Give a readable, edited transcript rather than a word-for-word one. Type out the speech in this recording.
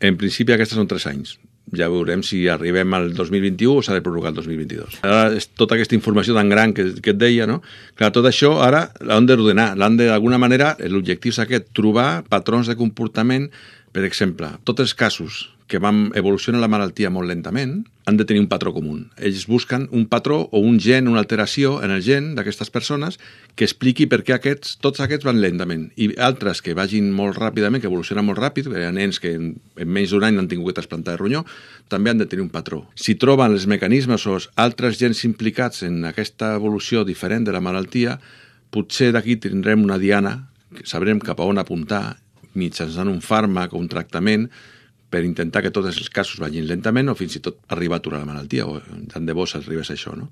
En principi aquestes són 3 anys. Ja veurem si arribem al 2021 o s'ha de prorrogar el 2022. Ara, tota aquesta informació tan gran que et deia, no? Clar, tot això ara l'han d'ordenar, d'alguna manera, l'objectiu és aquest, trobar patrons de comportament. Per exemple, tots els casos que van evolucionar la malaltia molt lentament han de tenir un patró comú. Ells busquen un patró o un gen, una alteració en el gen d'aquestes persones que expliqui per què tots aquests van lentament i altres que vagin molt ràpidament, que evolucionen molt ràpid, hi ha nens que en menys d'un any han tingut que trasplantar de ronyó, també han de tenir un patró. Si troben els mecanismes o els altres gens implicats en aquesta evolució diferent de la malaltia, potser d'aquí tindrem una diana, sabrem cap a on apuntar mitjançant un fàrmac o un tractament per intentar que tots els casos vagin lentament o fins i tot arribar a aturar la malaltia, o tant de bo s'arribés a això, no?